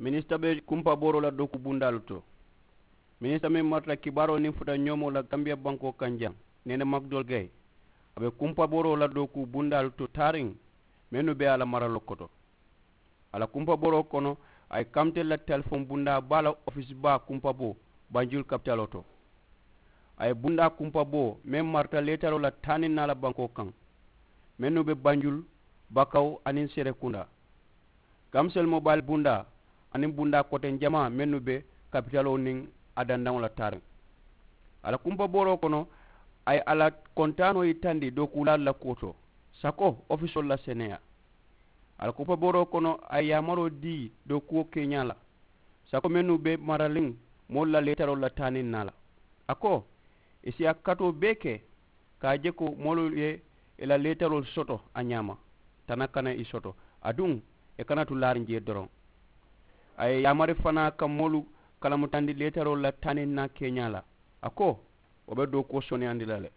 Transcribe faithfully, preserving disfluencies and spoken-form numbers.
Minisita be kumpabooroo la dooku bundaalu to. Minisita meŋ marata kibaaroo niŋ futa ñoomoo la gambiya bankoo kaŋ jaŋ, neene makdol gay, a be kumpabooroo la dooku bundaalu to taariŋ, mennu be a la maraloo koto. A la kumpabooroo kono, a ye kamite la telefoŋ bundaa baa la ofisi baa kumpaboo banjul kapitaloo to. A ye bundaa kumpaboo meŋ marata leetaroo la taaniŋ naa la bankoo kaŋ, mennu be banjul, bakaw, aniŋ serekunda. Kamsel mobayili bundaa aniŋ bundaa koteŋ jamaa mennu be kapitaloo niŋ a dandaŋo la taariŋ. A la kumpabooroo kono, a ye a la kontaanoo yitandi dookuulaalu la kuwo to, sako ofisoolu la seneyaa. A la kumpabooroo kono, a ye yaamaroo dii dookuwo keeñaa la, sako mennu be maraliŋ moolu la leetaroolu la taaniŋ naa la. A ko, i si a katoo bee ke ka a je ko moolu ye i la leetaroolu soto a ñaama, tana kana i soto, aduŋ i kana tu laariŋ jee doroŋ. A ye yaamari fanaa ka moolu kalamutandi leetaroolu la taaniŋ naa keeñaa la. A ko, wo be dookuwo soneyandi la le.